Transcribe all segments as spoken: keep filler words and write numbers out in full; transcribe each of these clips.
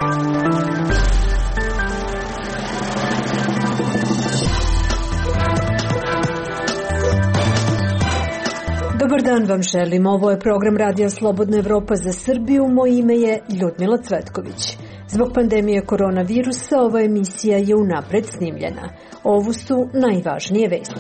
Dobar dan vam želim. Ovo je program Radija Slobodna Evropa za Srbiju. Moje ime je Ljudmila Cvetković. Zbog pandemije koronavirusa ova emisija je unapred snimljena. Ovo su najvažnije vesti.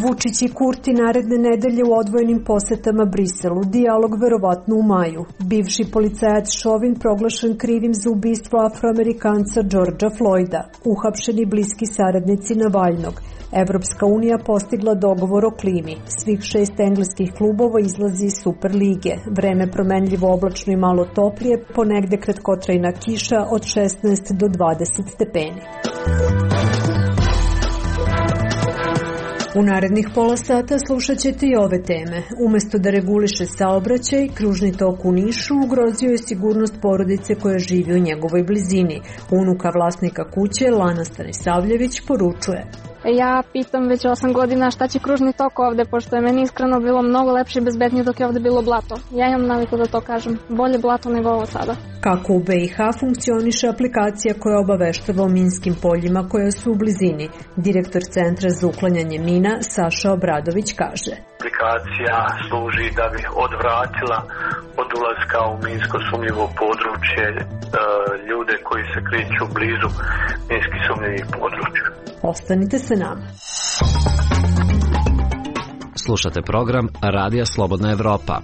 Vučić i Kurti naredne nedelje u odvojenim posetama Briselu. Dijalog verovatno u maju. Bivši policajac Šovin proglašen krivim za ubistvo Afroamerikanca Georgea Floyda. Uhapšeni bliski saradnici Navalnog. Evropska unija postigla dogovor o klimi. Svih šest engleskih klubova izlazi iz Superlige. Vreme promenljivo, oblačno i malo toplije, ponegde kratkotrajna kiša od šesnaest do dvadeset stepeni. U narednih pola sata slušat ćete i ove teme. Umesto da reguliše saobraćaj, kružni tok u Nišu ugrozio je sigurnost porodice koja živi u njegovoj blizini. Unuka vlasnika kuće, Lana Stanisavljević, poručuje: Ja pitam već osam godina šta će kružni tok ovde, pošto je meni iskreno bilo mnogo lepše i bezbednije dok je ovde bilo blato. Ja imam naviku da to kažem. Bolje blato nego ovo sada. Kako u be i ha funkcioniše aplikacija koja obaveštava o minskim poljima koja su u blizini? Direktor Centra za uklanjanje mina Saša Obradović kaže: Aplikacija služi da bi odvratila od ulaska u minsko sumnjivo područje e, ljude koji se kreću blizu minski sumnjivih područja. Ostanite sa nama. Slušate program Radija Slobodna Evropa.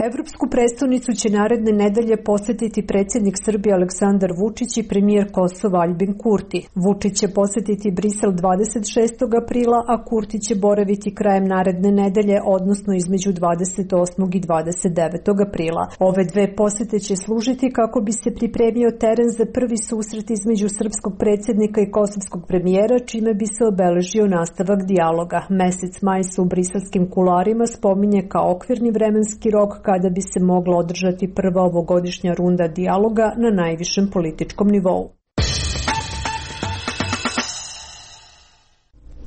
Evropsku prestonicu će naredne nedelje posetiti predsjednik Srbije Aleksandar Vučić i premijer Kosova Aljbin Kurti. Vučić će posetiti Brisel dvadeset šestog aprila, a Kurti će boraviti krajem naredne nedelje, odnosno između dvadeset osmog i dvadeset devetog aprila. Ove dve posete će služiti kako bi se pripremio teren za prvi susret između srpskog predsjednika i kosovskog premijera, čime bi se obeležio nastavak dijaloga. Mesec maj se u briselskim kularima spominje kao okvirni vremenski rok kada bi se mogla održati prva ovogodišnja runda dijaloga na najvišem političkom nivou.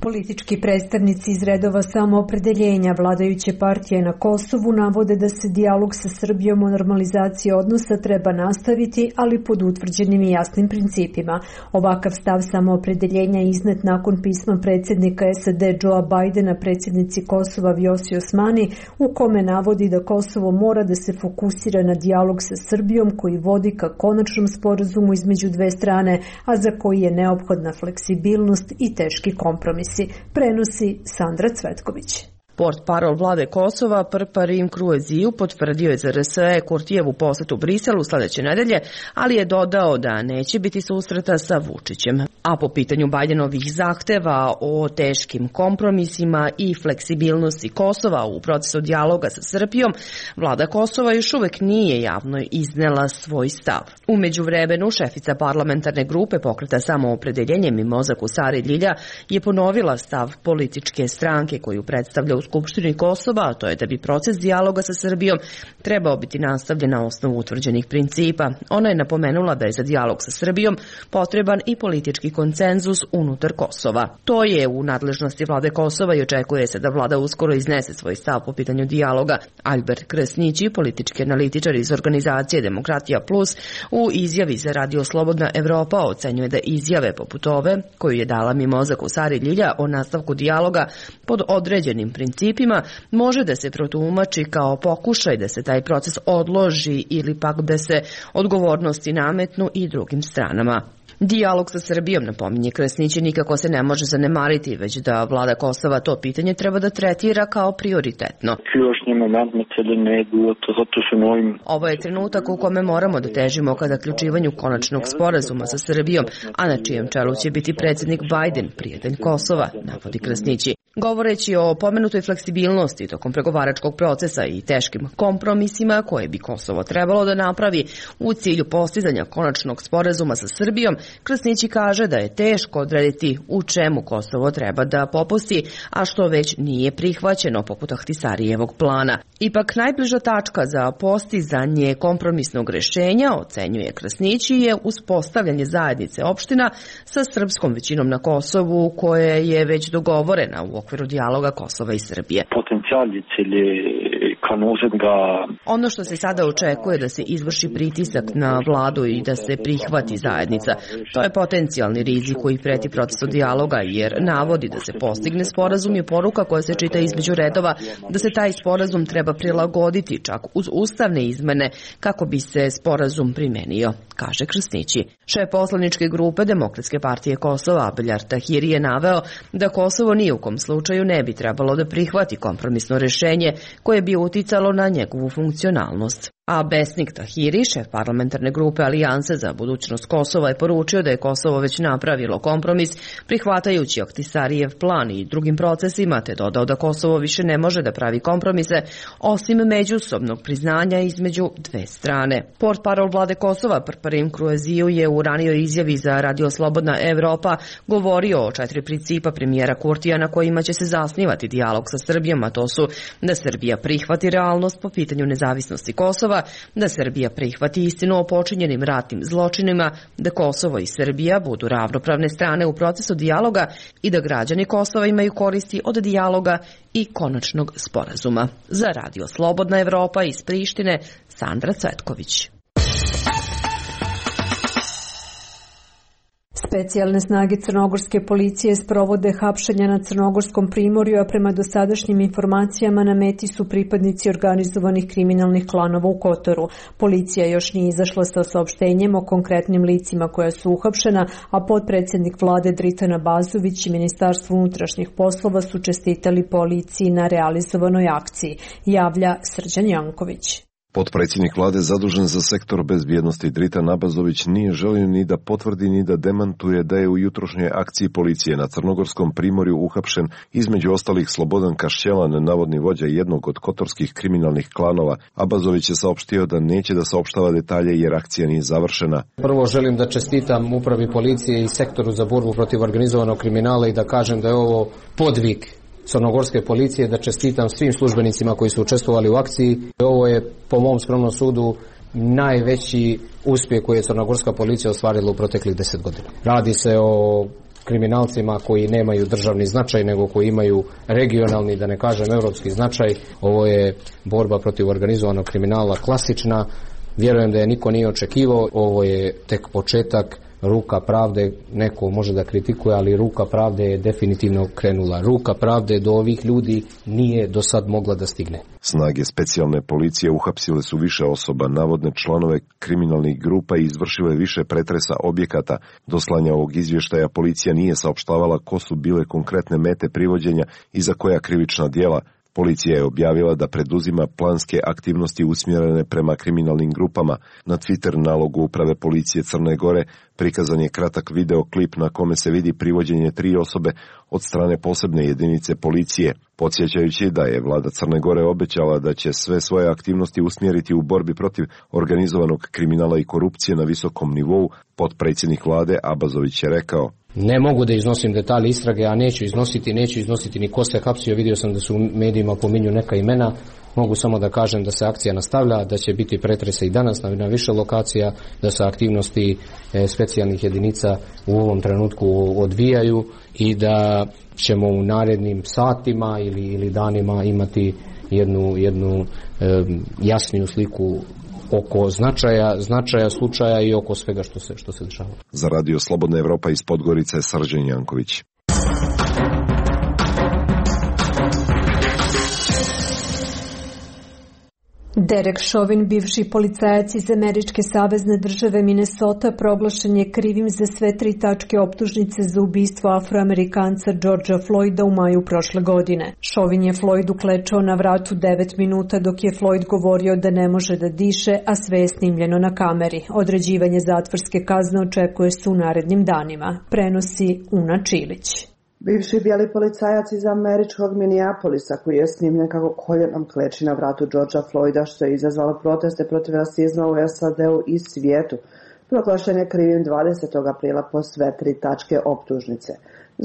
Politički predstavnici iz redova samoopredeljenja vladajuće partije na Kosovu navode da se dijalog sa Srbijom o normalizaciji odnosa treba nastaviti, ali pod utvrđenim i jasnim principima. Ovakav stav samoopredeljenja je iznet nakon pisma predsjednika es a de Joea Bajdena predsjednici Kosova Vjosi Osmani, u kome navodi da Kosovo mora da se fokusira na dijalog sa Srbijom koji vodi ka konačnom sporazumu između dve strane, a za koji je neophodna fleksibilnost i teški kompromis. Prenosi Sandra Cvetković. Portparol vlade Kosova Prparim Krueziju potvrdio je za er es e Kurtijevu posetu Briselu sledeće nedelje, ali je dodao da neće biti susreta sa Vučićem. A po pitanju Bajdenovih zahteva o teškim kompromisima i fleksibilnosti Kosova u procesu dijaloga sa Srbijom, vlada Kosova još uvek nije javno iznela svoj stav. U međuvremenu šefica parlamentarne grupe Pokreta samoopredeljenje Mimoza Kusari Ljilja je ponovila stav političke stranke koju predstavlja u Skupštini Kosova, a to je da bi proces dijaloga sa Srbijom trebao biti nastavljen na osnovu utvrđenih principa. Ona je napomenula da je za dijalog sa Srbijom potreban i politički konsenzus unutar Kosova. To je u nadležnosti vlade Kosova i očekuje se da vlada uskoro iznese svoj stav po pitanju dijaloga. Albert Kresnići, politički analitičar iz organizacije Demokratija Plus, u izjavi za Radio Slobodna Evropa ocenjuje da izjave poput ove, koju je dala Mimoza Kusari Ljilja o nastavku dijaloga pod određenim principima, može da se protumači kao pokušaj da se taj proces odloži ili pak da se odgovornosti nametnu i drugim stranama. Dijalog sa Srbijom, napominje Kresnići, nikako se ne može zanemariti, već da vlada Kosova to pitanje treba da tretira kao prioritetno. Ovo je trenutak u kome moramo da težimo ka zaključivanju konačnog sporazuma sa Srbijom, a na čijem čelu će biti predsjednik Bajden, prijatelj Kosova, navodi Kresnići. Govoreći o pomenutoj fleksibilnosti tokom pregovaračkog procesa i teškim kompromisima koje bi Kosovo trebalo da napravi u cilju postizanja konačnog sporazuma sa Srbijom, Kresnići kaže da je teško odrediti u čemu Kosovo treba da popusti, a što već nije prihvaćeno poput Ahtisarijevog plana. Ipak najbliža tačka za postizanje kompromisnog rešenja, ocenjuje Kresnići, je uspostavljanje zajednice opština sa srpskom većinom na Kosovu, koja je već dogovorena u okviru dijaloga Kosova i Srbije. Potencijali cilje Ono što se sada očekuje da se izvrši pritisak na vladu i da se prihvati zajednica, to je potencijalni rizik koji preti procesu dijaloga, jer navodi da se postigne sporazum i poruka koja se čita između redova da se taj sporazum treba prilagoditi čak uz ustavne izmene kako bi se sporazum primenio, kaže Krsnići. Šef poslaničke grupe Demokratske partije Kosova Abeljar Tahiri je naveo da Kosovo ni u kom slučaju ne bi trebalo da prihvati kompromisno rešenje koje bi uticalo na njegovu funkcionalnost. A Besnik Tahiri, šef parlamentarne grupe Alijanse za budućnost Kosova, je poručio da je Kosovo već napravilo kompromis prihvatajući Ahtisarijev plan i drugim procesima, te dodao da Kosovo više ne može da pravi kompromise osim međusobnog priznanja između dve strane. Portparol vlade Kosova Prparim Krueziju je u ranijoj izjavi za Radio Slobodna Evropa govorio o četiri principa premijera Kurtija na kojima će se zasnivati dijalog sa Srbijom, a to su da Srbija prihvati realnost po pitanju nezavisnosti Kosova, da Srbija prihvati istinu o počinjenim ratnim zločinima, da Kosovo i Srbija budu ravnopravne strane u procesu dijaloga i da građani Kosova imaju koristi od dijaloga i konačnog sporazuma. Za Radio Slobodna Evropa iz Prištine, Sandra Cvetković. Specijalne snage crnogorske policije sprovode hapšenja na Crnogorskom primorju, a prema dosadašnjim informacijama na meti su pripadnici organizovanih kriminalnih klanova u Kotoru. Policija još nije izašla sa saopštenjem o konkretnim licima koja su uhapšena, a potpredsjednik vlade Dritan Abazović i Ministarstvo unutrašnjih poslova su čestitali policiji na realizovanoj akciji, javlja Srđan Janković. Potpredsjednik vlade zadužen za sektor bezbjednosti Dritan Abazović nije želio ni da potvrdi ni da demantuje da je u jutrošnjoj akciji policije na Crnogorskom primorju uhapšen između ostalih Slobodan Kašćelan, navodni vođa jednog od kotorskih kriminalnih klanova. Abazović je saopštio da neće da saopštava detalje jer akcija nije završena. Prvo želim da čestitam upravi policije i sektoru za borbu protiv organizovanog kriminala i da kažem da je ovo podvig crnogorske policije, da čestitam svim službenicima koji su učestvovali u akciji. Ovo je, po mom skromnom sudu, najveći uspjeh koji je crnogorska policija ostvarila u proteklih deset godina. Radi se o kriminalcima koji nemaju državni značaj, nego koji imaju regionalni, da ne kažem evropski značaj. Ovo je borba protiv organizovanog kriminala klasična. Vjerujem da je niko nije očekivao. Ovo je tek početak. Ruka pravde, neko može da kritikuje, ali ruka pravde je definitivno krenula. Ruka pravde do ovih ljudi nije do sad mogla da stigne. Snage specijalne policije uhapsile su više osoba, navodne članove kriminalnih grupa i izvršile više pretresa objekata. Do slanja ovog izvještaja policija nije saopštavala ko su bile konkretne mete privođenja i za koja krivična djela. Policija je objavila da preduzima planske aktivnosti usmjerene prema kriminalnim grupama. Na Twitter nalogu uprave policije Crne Gore prikazan je kratak videoklip na kome se vidi privođenje tri osobe od strane posebne jedinice policije. Podsjećajući da je vlada Crne Gore obećala da će sve svoje aktivnosti usmjeriti u borbi protiv organizovanog kriminala i korupcije na visokom nivou, potpredsjednik vlade Abazović je rekao: Ne mogu da iznosim detalje istrage, a neću iznositi, neću iznositi ni ko se hapsio. Vidio sam da su u medijima pominju neka imena. Mogu samo da kažem da se akcija nastavlja, da će biti pretrese i danas na, na više lokacija, da se aktivnosti e, specijalnih jedinica u ovom trenutku odvijaju i da ćemo u narednim satima ili, ili danima imati jednu, jednu e, jasniju sliku oko značaja, značaja slučaja i oko svega što se, što se dešava. Za Radio Slobodna Evropa iz Podgorice je Srđan Janković. Derek Chauvin, bivši policajac iz američke savezne države Minnesota, proglašen je krivim za sve tri tačke optužnice za ubistvo Afroamerikanca Georgea Floyda u maju prošle godine. Chauvin je Floydu klečao na vratu devet minuta dok je Floyd govorio da ne može da diše, a sve je snimljeno na kameri. Određivanje zatvorske kazne očekuje se u narednim danima, prenosi Una Čilić. Bivši bijeli policajac iz američkog Minneapolisa koji je snimljen kako koljenom kleči na vratu Georgea Floyda, što je izazvalo proteste protiv rasizma u S A D-u i svijetu, proglašen je krivim dvadesetog aprila po sve tri tačke optužnice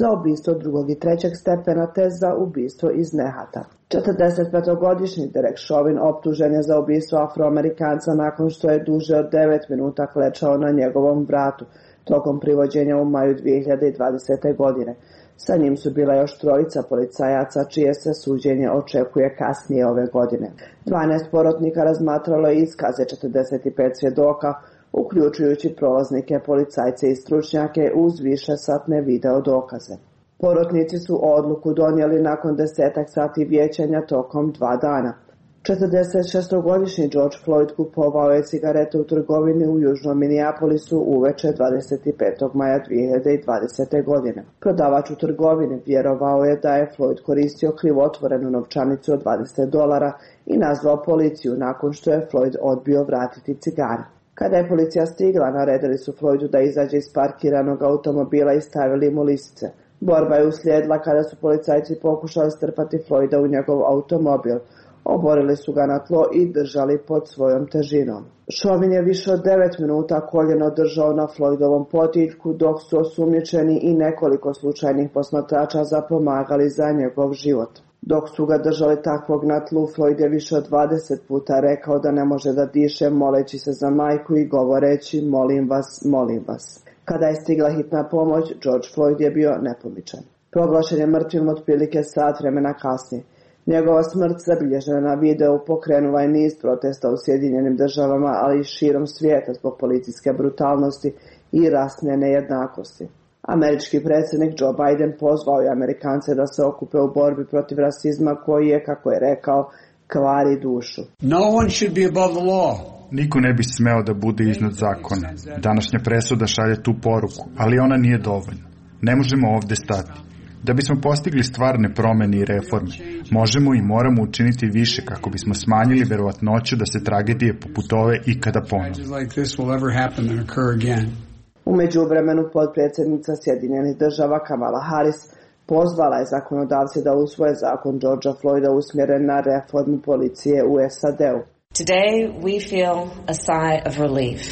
za ubistvo drugog i trećeg stepena te za ubistvo iz nehata. četrdesetpetogodišnji Derek Chauvin optužen je za ubistvo Afroamerikanca nakon što je duže od devet minuta klečao na njegovom vratu tokom privođenja u maju dvije hiljade dvadesete. godine. Sa njim su bila još trojica policajaca, čije se suđenje očekuje kasnije ove godine. dvanaest porotnika razmatralo je iskaze četrdeset pet svjedoka, uključujući prolaznike, policajce i stručnjake uz višesatne video dokaze. Porotnici su odluku donijeli nakon desetak sati vijećanja tokom dva dana. četrdesetšestogodišnji George Floyd kupovao je cigarete u trgovini u južnom Minneapolisu uveče dvadeset petog maja dvije hiljade dvadesete. godine. Prodavač u trgovini vjerovao je da je Floyd koristio krivotvorenu novčanicu od dvadeset dolara i nazvao policiju nakon što je Floyd odbio vratiti cigare. Kada je policija stigla, naredili su Floydu da izađe iz parkiranog automobila i stavili mu lisice. Borba je uslijedila kada su policajci pokušali strpati Floyda u njegov automobil. Oborili su ga na tlo i držali pod svojom težinom. Chauvin je više od devet minuta koljeno držao na Floydovom potiljku, dok su osumnjičeni i nekoliko slučajnih posmatrača zapomagali za njegov život. Dok su ga držali takvog na tlu, Floyd je više od dvadeset puta rekao da ne može da diše, moleći se za majku i govoreći molim vas, molim vas. Kada je stigla hitna pomoć, George Floyd je bio nepomičan. Proglašen je mrtvim otprilike sat vremena kasnije. Njegova smrt, zabilježena na videu, pokrenula je niz protesta u Sjedinjenim državama, ali i širom svijeta zbog policijske brutalnosti i rasne nejednakosti. Američki predsjednik Joe Biden pozvao je Amerikance da se okupe u borbi protiv rasizma koji je, kako je rekao, kvari dušu. No one should be above the law. Niko ne bi smeo da bude iznad zakona. Današnja presuda šalje tu poruku, ali ona nije dovoljna. Ne možemo ovde stati. Da bismo postigli stvarne promene i reforme, možemo i moramo učiniti više kako bismo smanjili verovatnoću da se tragedije poput ove ikada ponove. U međuvremenu potpredsjednica Sjedinjenih država Kamala Harris pozvala je zakonodavce da usvoje zakon Georgea Floyda usmjeren na reformu policije u S A D-u. Today we feel a sigh of relief.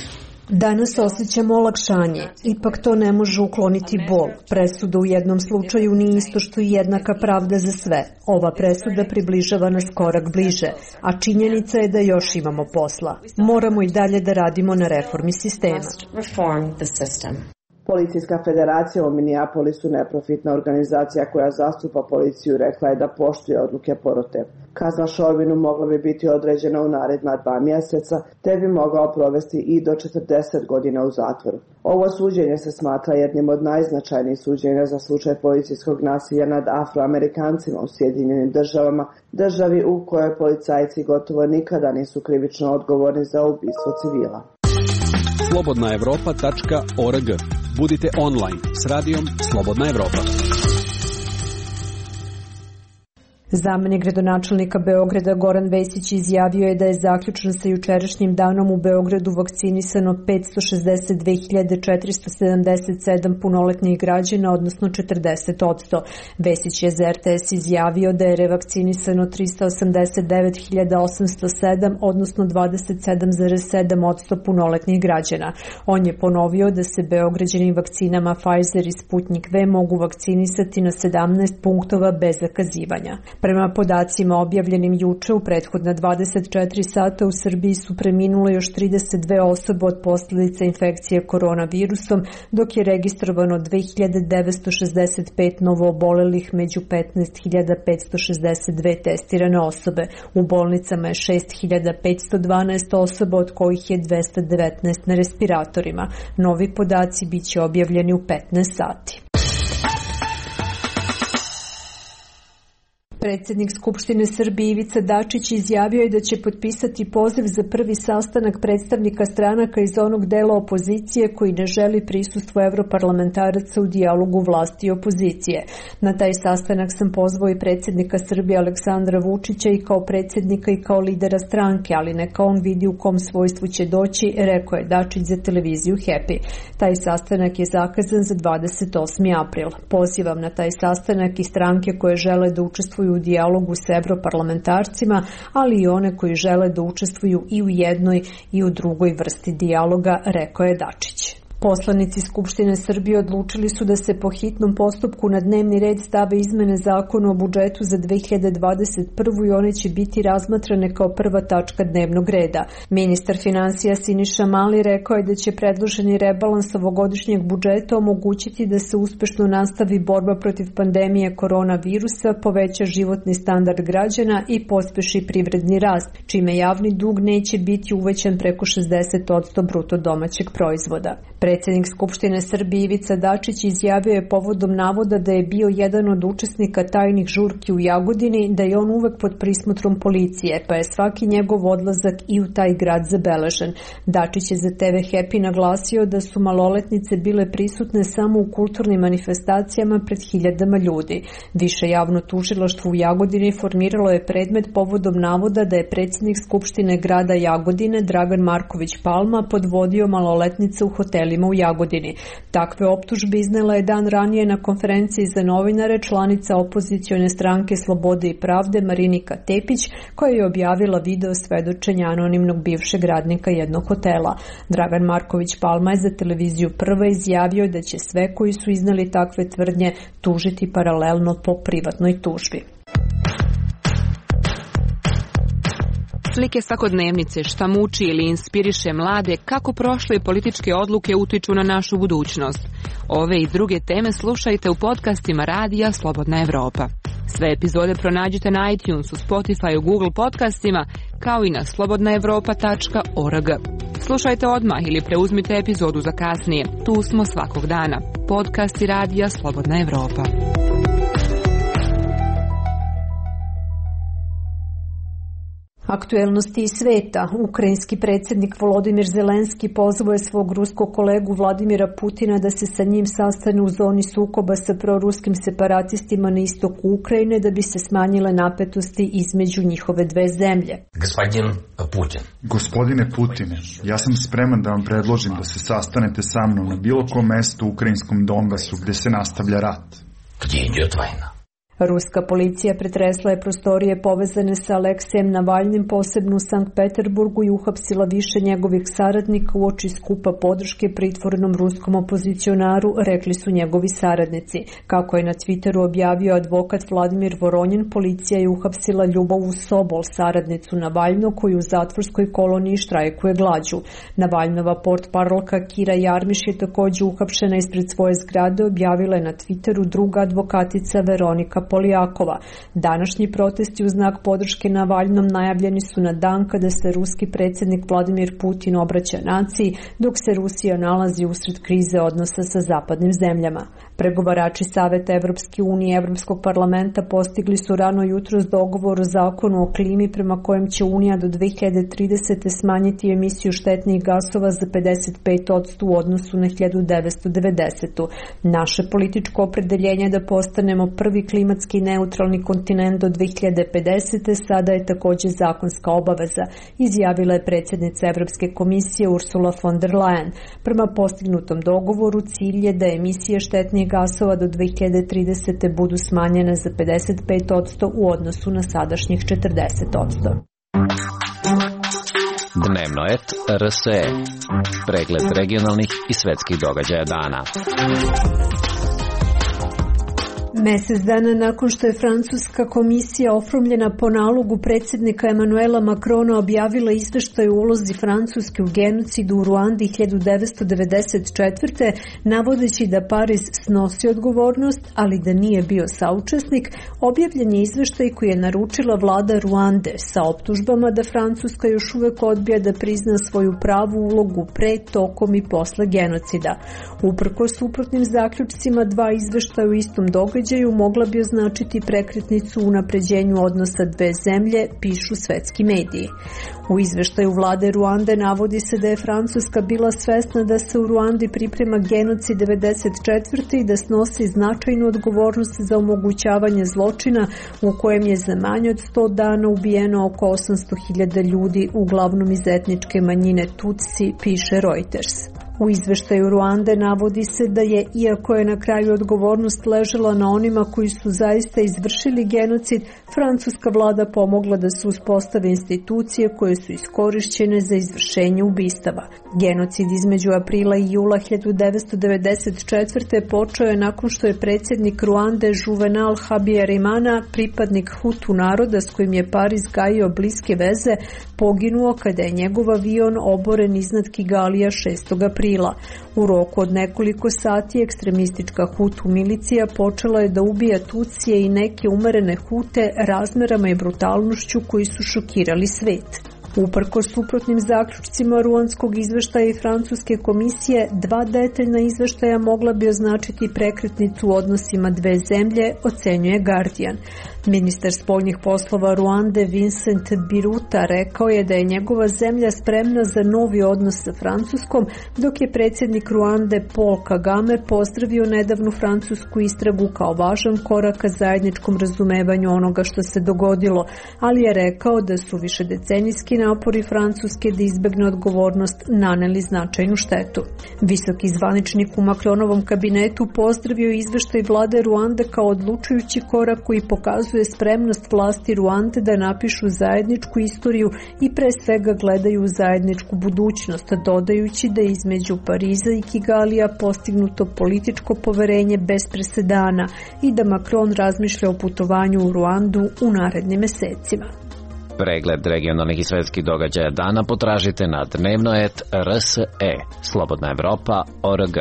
Danas osjećamo olakšanje, ipak to ne može ukloniti bol. Presuda u jednom slučaju nije isto što i jednaka pravda za sve. Ova presuda približava nas korak bliže, a činjenica je da još imamo posla. Moramo i dalje da radimo na reformi sistema. Policijska federacija u Minneapolisu, neprofitna organizacija koja zastupa policiju, rekla je da poštuje odluke porote. Kazna Chauvinu mogla bi biti određena u naredna dva mjeseca, te bi mogao provesti i do četrdeset godina u zatvoru. Ovo suđenje se smatra jednim od najznačajnijih suđenja za slučaj policijskog nasilja nad Afroamerikancima u Sjedinjenim državama, državi u kojoj policajci gotovo nikada nisu krivično odgovorni za ubistvo civila. slobodna evropa tačka org. Budite online s radijom Slobodna Evropa. Zamenik gradonačelnika Beograda Goran Vesić izjavio je da je zaključno sa jučerašnjim danom u Beogradu vakcinisano petsto šezdeset dve hiljade četiristo sedamdeset sedam punoletnih građana, odnosno četrdeset posto. Vesić je za R T S izjavio da je revakcinisano tristo osamdeset devet hiljada osamsto sedam, odnosno dvadeset sedam zarez sedam posto punoletnih građana. On je ponovio da se Beograđani vakcinama Pfizer i Sputnik V mogu vakcinisati na sedamnaest punktova bez zakazivanja. Prema podacima objavljenim juče, u prethodna dvadeset četiri sata u Srbiji su preminule još trideset dve osobe od posljedica infekcije koronavirusom, dok je registrovano dve hiljade devetsto šezdeset pet novoobolelih među petnaest hiljada petsto šezdeset dve testirane osobe. U bolnicama je šest hiljada petsto dvanaest osoba, od kojih je dvesta devetnaest na respiratorima. Novi podaci biće objavljeni u petnaest sati. Predsjednik Skupštine Srbije Ivica Dačić izjavio je da će potpisati poziv za prvi sastanak predstavnika stranaka iz onog dela opozicije koji ne želi prisustvo evroparlamentaraca u dijalogu vlasti i opozicije. Na taj sastanak sam pozvao i predsjednika Srbije Aleksandra Vučića i kao predsjednika i kao lidera stranke, ali neka on vidi u kom svojstvu će doći, rekao je Dačić za televiziju Happy. Taj sastanak je zakazan za dvadeset osmi april. Pozivam na taj sastanak i stranke koje žele da učestvuju u dijalogu s evroparlamentarcima, ali i one koji žele da učestvuju i u jednoj i u drugoj vrsti dijaloga, rekao je Dačić. Poslanici Skupštine Srbije odlučili su da se po hitnom postupku na dnevni red stave izmene zakona o budžetu za dve hiljade dvadeset prvu i one će biti razmatrane kao prva tačka dnevnog reda. Ministar finansija Siniša Mali rekao je da će predloženi rebalans ovogodišnjeg budžeta omogućiti da se uspešno nastavi borba protiv pandemije koronavirusa, poveća životni standard građana i pospeši privredni rast, čime javni dug neće biti uvećan preko šezdeset posto bruto domaćeg proizvoda. Predsjednik Skupštine Srbije Ivica Dačić izjavio je povodom navoda da je bio jedan od učesnika tajnih žurki u Jagodini, da je on uvek pod prismotrom policije, pa je svaki njegov odlazak i u taj grad zabeležen. Dačić je za te ve Happy naglasio da su maloletnice bile prisutne samo u kulturnim manifestacijama pred hiljadama ljudi. Više javno tužilaštvo u Jagodini formiralo je predmet povodom navoda da je predsjednik Skupštine grada Jagodine Dragan Marković Palma podvodio maloletnice u hotelima u Jagodini. Takve optužbe iznela je dan ranije na konferenciji za novinare članica opozicione stranke Slobode i pravde Marinika Tepić, koja je objavila video svedočenja anonimnog bivšeg radnika jednog hotela. Dragan Marković Palma je za televiziju Prva izjavio da će sve koji su iznali takve tvrdnje tužiti paralelno po privatnoj tužbi. Slike svakodnevnice, šta muči ili inspiriše mlade, kako prošle političke odluke utiču na našu budućnost. Ove i druge teme slušajte u podcastima Radija Slobodna Evropa. Sve epizode pronađite na iTunesu, Spotifyu, Google podcastima, kao i na slobodna evropa tačka org. Slušajte odmah ili preuzmite epizodu za kasnije. Tu smo svakog dana. Podcasti Radija Slobodna Evropa. Aktuelnosti iz sveta. Ukrajinski predsjednik Volodimir Zelenski pozvao je svog ruskog kolegu Vladimira Putina da se sa njim sastane u zoni sukoba sa proruskim separatistima na istoku Ukrajine da bi se smanjile napetosti između njihove dve zemlje. Gospodin Putin. Gospodine Putine, ja sam spreman da vam predložim da se sastanete sa mnom na bilo kom mestu u ukrajinskom Donbasu gde se nastavlja rat. Gdje ide vojna? Ruska policija pretresla je prostorije povezane sa Aleksijem Navalnim, posebno u Sankt Peterburgu, i uhapsila više njegovih saradnika uoči skupa podrške pritvornom ruskom opozicionaru, rekli su njegovi saradnici. Kako je na Twitteru objavio advokat Vladimir Voronjin, policija je uhapsila Ljubovu Sobol, saradnicu Navalno, koju u zatvorskoj koloniji štrajkuje glađu. Navalnova portparolka Kira Jarmiš je također uhapšena ispred svoje zgrade, objavila je na Twitteru druga advokatica Veronika Polijakova. Današnji protesti u znak podrške Navalnom najavljeni su na dan kada se ruski predsjednik Vladimir Putin obraća naciji, dok se Rusija nalazi usred krize odnosa sa zapadnim zemljama. Pregovarači Saveta Evropske unije i Evropskog parlamenta postigli su rano jutros dogovor o zakonu o klimi prema kojem će Unija do dve hiljade tridesete smanjiti emisiju štetnih gasova za pedeset pet posto u odnosu na hiljadu devetsto devedesetu. Naše političko opredeljenje da postanemo prvi klimatski neutralni kontinent do dve hiljade pedesete sada je također zakonska obaveza, izjavila je predsjednica Evropske komisije Ursula von der Leyen. Prema postignutom dogovoru cilj je da emisije štetnih gasova do dve hiljade tridesete budu smanjene za pedeset pet posto u odnosu na sadašnjih četrdeset posto. Dnevno et er es e. Pregled regionalnih i svetskih događaja dana. Mesec dana nakon što je francuska komisija oformljena po nalogu predsjednika Emanuela Macrona objavila izveštaj o ulozi Francuske u genocidu u Ruandi hiljadu devetsto devedeset četvrte. navodeći da Pariz snosi odgovornost, ali da nije bio saučesnik, objavljen je izveštaj koji je naručila vlada Ruande sa optužbama da Francuska još uvek odbija da prizna svoju pravu ulogu pre, tokom i posle genocida. Uprkos suprotnim zaključcima, dva izveštaja u istom događaju mogla bi označiti prekretnicu u unapređenju odnosa dve zemlje, pišu svetski mediji. U izveštaju vlade Ruande navodi se da je Francuska bila svesna da se u Ruandi priprema genocid devedeset četvrte i da snosi značajnu odgovornost za omogućavanje zločina u kojem je za manje od sto dana ubijeno oko osamsto hiljada ljudi, uglavnom iz etničke manjine Tutsi, piše Reuters. U izveštaju Ruande navodi se da je, iako je na kraju odgovornost ležela na onima koji su zaista izvršili genocid, francuska vlada pomogla da se uspostave institucije koje su iskorišćene za izvršenje ubistava. Genocid između aprila i jula hiljadu devetsto devedeset četvrte. počeo je nakon što je predsjednik Ruande Juvenal Habyarimana, pripadnik Hutu naroda s kojim je Pariz gajio bliske veze, poginuo kada je njegov avion oboren iznad Kigalija šestog aprila. U roku od nekoliko sati ekstremistička Hutu milicija počela je da ubija Tutsije i neke umerene Hute razmerama i brutalnošću koji su šokirali svet. Uprkos suprotnim zaključcima ruandskog izveštaja i francuske komisije, dva detaljna izveštaja mogla bi označiti prekretnicu u odnosima dve zemlje, ocenjuje Guardian. Ministar spoljnih poslova Ruande Vincent Biruta rekao je da je njegova zemlja spremna za novi odnos sa Francuskom, dok je predsjednik Ruande Paul Kagame pozdravio nedavnu francusku istragu kao važan korak ka zajedničkom razumevanju onoga što se dogodilo, ali je rekao da su višedecenijski napori Francuske da izbegne odgovornost naneli značajnu štetu. Visoki zvaničnik u Macronovom kabinetu pozdravio izveštaj vlade Ruande kao odlučujući korak koji pokazuje spremnost vlasti Ruande da napišu zajedničku istoriju i pre svega gledaju zajedničku budućnost, dodajući da je između Pariza i Kigalija postignuto političko poverenje bez presedana i da Macron razmišlja o putovanju u Ruandu u narednim mesecima. Pregled regionalnih i svetskih događaja dana potražite na dnevnoet R S E, Slobodna Evropa, O R G.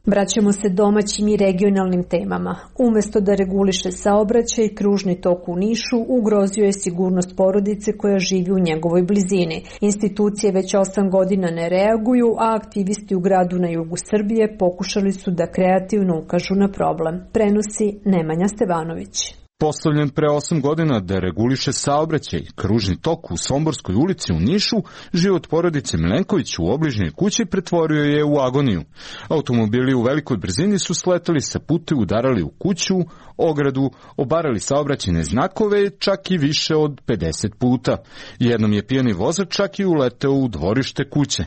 Vraćamo se domaćim i regionalnim temama. Umesto da reguliše saobraćaj, kružni tok u Nišu ugrozio je sigurnost porodice koja živi u njegovoj blizini. Institucije već osam godina ne reaguju, a aktivisti u gradu na jugu Srbije pokušali su da kreativno ukažu na problem. Prenosi Nemanja Stevanović. Postavljen pre osam godina da reguliše saobraćaj, kružni tok u Somborskoj ulici u Nišu, život porodice Milenković u obližnjoj kući pretvorio je u agoniju. Automobili u velikoj brzini su sletali sa puta, udarali u kuću, ogradu, obarali saobraćajne znakove čak i više od pedeset puta. Jednom je pijani vozač čak i uleteo u dvorište kuće.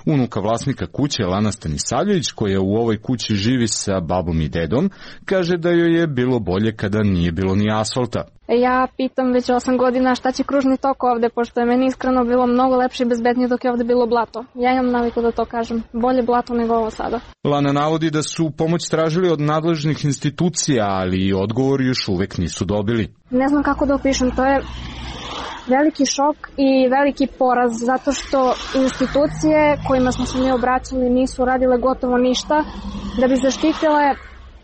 Unuka vlasnika kuće Lana Stanisavljević, koja u ovoj kući živi sa babom i dedom, kaže da joj je bilo bolje kada nije bilo ni asfalta. Ja pitam već osam godina šta će kružni tok ovde, pošto je meni iskreno bilo mnogo lepše i bezbednije dok je ovde bilo blato. Ja imam naviku da to kažem, bolje blato nego ovo sada. Lana navodi da su pomoć tražili od nadležnih institucija, ali odgovor još uvek nisu dobili. Ne znam kako da opišem, to je veliki šok i veliki poraz, zato što institucije kojima smo se mi obraćali nisu radile gotovo ništa da bi zaštitile,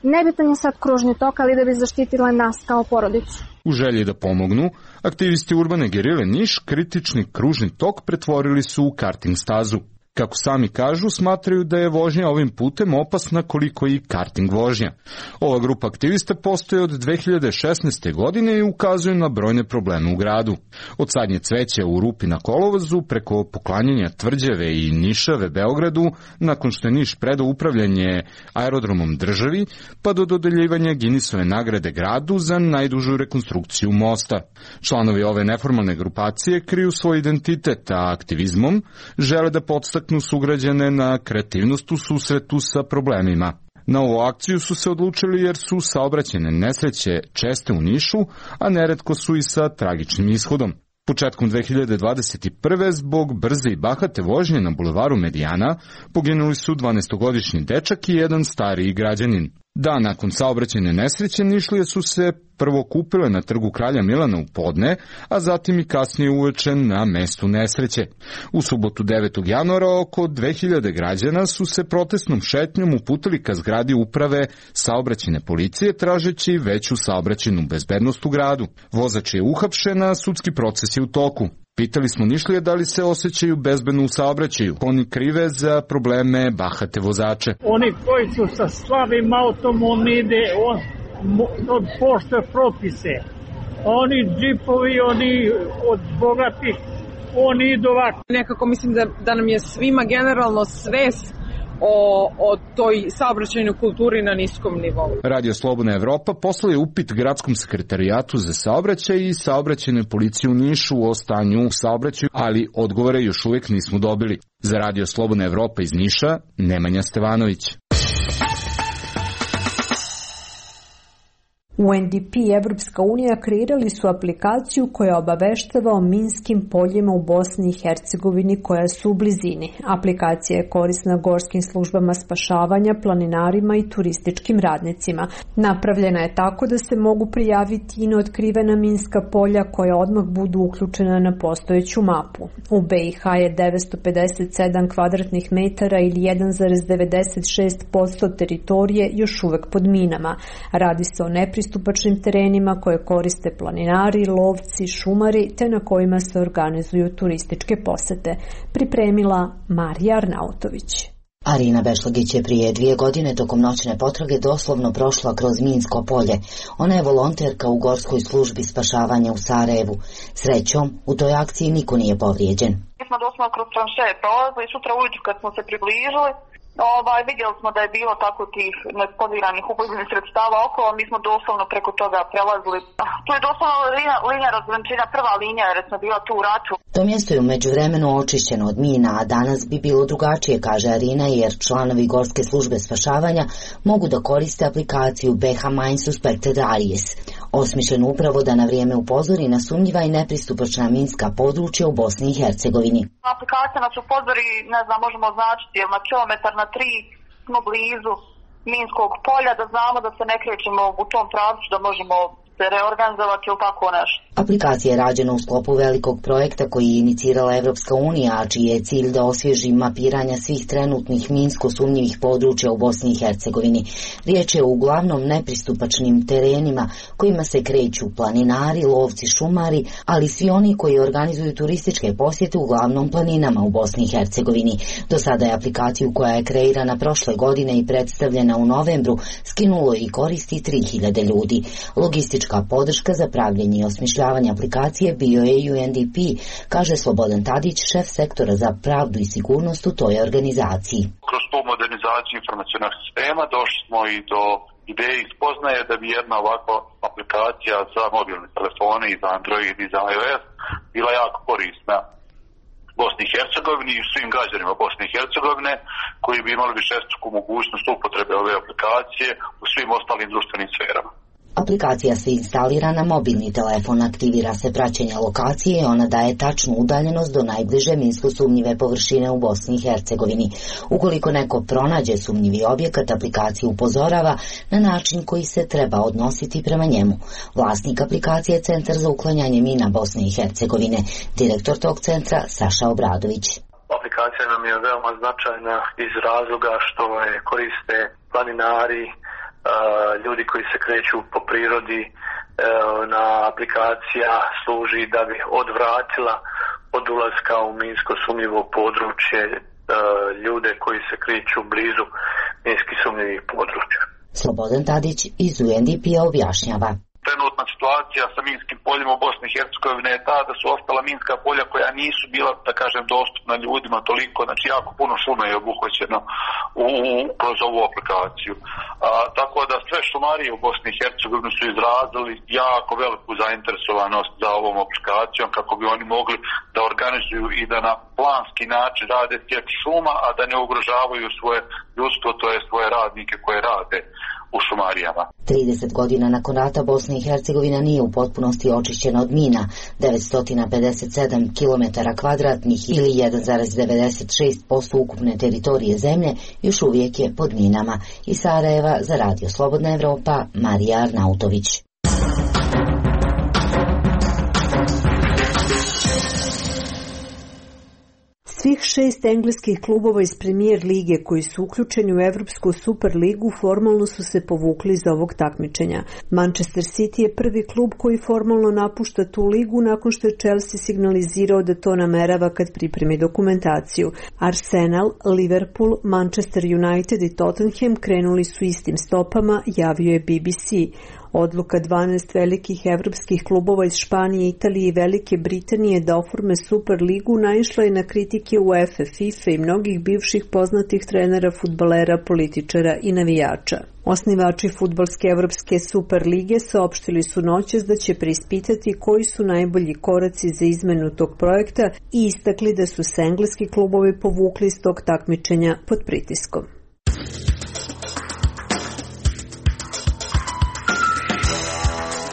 nebitan je sad kružni tok, ali da bi zaštitile nas kao porodicu. U želji da pomognu, aktivisti urbane gerile Niš kritični kružni tok pretvorili su u karting stazu. Kako sami kažu, smatraju da je vožnja ovim putem opasna koliko i karting vožnja. Ova grupa aktivista postoji od dve hiljade šesnaeste. godine i ukazuje na brojne probleme u gradu. Od sadnje cveća u rupi na kolovozu, preko poklanjanja tvrđave i Nišave Beogradu, nakon što je Niš predao upravljanje aerodromom državi, pa do dodeljivanja Guinnessove nagrade gradu za najdužu rekonstrukciju mosta. Članovi ove neformalne grupacije kriju svoj identitet, a aktivizmom žele da podstaknu sugrađane na kreativnost u susretu sa problemima. Na ovu akciju su se odlučili jer su saobraćajne nesreće česte u Nišu, a neretko su i sa tragičnim ishodom. Početkom dve hiljade dvadeset prve. zbog brze i bahate vožnje na bulevaru Medijana poginuli su dvanaestogodišnji dečak i jedan stariji građanin. Dan nakon saobraćajne nesreće Nišlije su se prvo kupile na trgu Kralja Milana u podne, a zatim i kasnije uveče na mestu nesreće. U subotu devetog januara oko dve hiljade građana su se protestnom šetnjom uputili ka zgradi uprave saobraćajne policije tražeći veću saobraćajnu bezbednost u gradu. Vozač je uhapšen, a sudski proces je u toku. Pitali smo Nišlije da li se osjećaju bezbedno u saobraćaju. Oni krive za probleme bahate vozače. Oni koji su sa slabim autom, on ide, on, on poštuje propise. Oni džipovi, oni od bogatih, oni idu ovako. Nekako mislim da, da nam je svima generalno svest o, o toj saobraćajnoj kulturi na niskom nivou. Radio Slobodna Evropa poslao je upit Gradskom sekretarijatu za saobraćaj i saobraćajnoj policiji u Nišu o stanju u saobraćaju, ali odgovore još uvijek nismo dobili. Za Radio Slobodna Evropa iz Niša, Nemanja Stevanović. U N D P i Evropska unija kreirali su aplikaciju koja obaveštava o minskim poljima u Bosni i Hercegovini koja su u blizini. Aplikacija je korisna gorskim službama spašavanja, planinarima i turističkim radnicima. Napravljena je tako da se mogu prijaviti i neotkrivena minska polja koja odmah budu uključena na postojeću mapu. U B i H je devetsto pedeset sedam kvadratnih metara ili jedan zarez devedeset šest posto teritorije još uvek pod minama. Radi se o nepristupačnim pristupačnim terenima koje koriste planinari, lovci, šumari, te na kojima se organizuju turističke posete. Pripremila Marija Arnautović. Arina Bešlagić je prije dvije godine tokom noćne potrage doslovno prošla kroz minsko polje. Ona je volonterka u gorskoj službi spašavanja u Sarajevu. Srećom, u toj akciji niko nije povrijeđen. Mi smo doslovno kroz tranšeje prolazili, sutra ujutru kad smo se približili, Ovaj, vidjeli smo da je bilo tako tih neeksplodiranih ubojbenih sredstava okolo, mi smo doslovno preko toga prelazili. Tu je doslovno linija, linija razgrančenja, prva linija jer smo bila tu u ratu. To mjesto je u međuvremenu očišćeno od mina, a danas bi bilo drugačije, kaže Arina, jer članovi Gorske službe spašavanja mogu da koriste aplikaciju B H Mine Suspected Areas, osmišljenu upravo da na vrijeme upozori na sumnjiva i nepristupačna minska područja u Bosni i Hercegovini. Aplikacija nas upozori, ne znam, možemo označiti, jer na kilometar na tri smo blizu minskog polja, da znamo da se ne krećemo u tom pravcu, da možemo se reorganizovati ili tako nešto. Aplikacija je rađena u sklopu velikog projekta koji je inicirala Evropska unija, a čiji je cilj da osvježi mapiranja svih trenutnih minsko sumnjivih područja u Bosni i Hercegovini. Riječ je o uglavnom nepristupačnim terenima kojima se kreću planinari, lovci, šumari, ali svi oni koji organizuju turističke posjete uglavnom planinama u Bosni i Hercegovini. Do sada je aplikaciju koja je kreirana prošle godine i predstavljena u novembru skinulo i koristi tri hiljade ljudi. Logistička podrška za pravljenje i osmišljavanje aplikacije bio je U N D P, kaže Slobodan Tadić, šef sektora za pravdu i sigurnost u toj organizaciji. Kroz tu modernizaciju informacionog sistema došli smo i do ideje i spoznaje da bi jedna ovakva aplikacija za mobilne telefone i za Android i za iOS bila jako korisna Bosni i Hercegovini i svim građanima Bosne i Hercegovine koji bi imali višestruku mogućnost upotrebe ove aplikacije u svim ostalim društvenim sferama. Aplikacija se instalira na mobilni telefon, aktivira se praćenje lokacije i ona daje tačnu udaljenost do najbliže minsko sumnjive površine u Bosni i Hercegovini. Ukoliko neko pronađe sumnjivi objekat, aplikacija upozorava na način koji se treba odnositi prema njemu. Vlasnik aplikacije je Centar za uklanjanje mina Bosne i Hercegovine, direktor tog centra Saša Obradović. Aplikacija nam je veoma značajna iz razloga što je koriste planinari, ljudi koji se kreću po prirodi. Na aplikacija služi da bi odvratila od ulaska u minsko sumnjivo područje ljude koji se kreću blizu minski sumnjivih područja. Slobodan Tadić iz U N D P-a objašnjava. Trenutna situacija sa minskim poljima u Bosni i Hercegovini je ta da su ostala minska polja koja nisu bila, da kažem, dostupna ljudima toliko, znači jako puno šume je obuhvaćeno u, kroz ovu aplikaciju. A, tako da sve šumarije u Bosni i Hercegovini su izrazili jako veliku zainteresovanost za ovom aplikacijom kako bi oni mogli da organizuju i da na planski način rade sjeć šuma, a da ne ugrožavaju svoje ljudstvo, to je svoje radnike koje rade u šumarijama. trideset godina nakon rata Bosna i Hercegovina nije u potpunosti očišćena od mina. devetsto pedeset sedam kilometara kvadratnih ili jedan zarez devedeset šest posto ukupne teritorije zemlje još uvijek je pod minama. Iz Sarajeva za Radio Slobodna Evropa, Marija Arnautović. Svih šest engleskih klubova iz Premier lige koji su uključeni u Evropsku Super ligu formalno su se povukli iz ovog takmičenja. Manchester City je prvi klub koji formalno napušta tu ligu nakon što je Chelsea signalizirao da to namerava kad pripremi dokumentaciju. Arsenal, Liverpool, Manchester United i Tottenham krenuli su istim stopama, javio je B B C. Odluka dvanaest velikih evropskih klubova iz Španije, Italije i Velike Britanije da oforme Super ligu naišla je na kritike UEFA, FIFA i mnogih bivših poznatih trenera, fudbalera, političara i navijača. Osnivači fudbalske evropske Super lige saopštili su noćas da će preispitati koji su najbolji koraci za izmenu tog projekta i istakli da su se engleski klubovi povukli iz tog takmičenja pod pritiskom.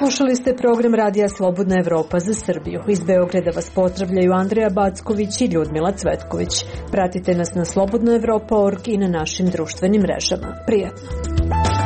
Slušali ste program Radija Slobodna Evropa za Srbiju. Iz Beograda vas pozdravljaju Andreja Backović i Ljudmila Cvetković. Pratite nas na slobodna evropa tačka org i na našim društvenim mrežama. Prijatno!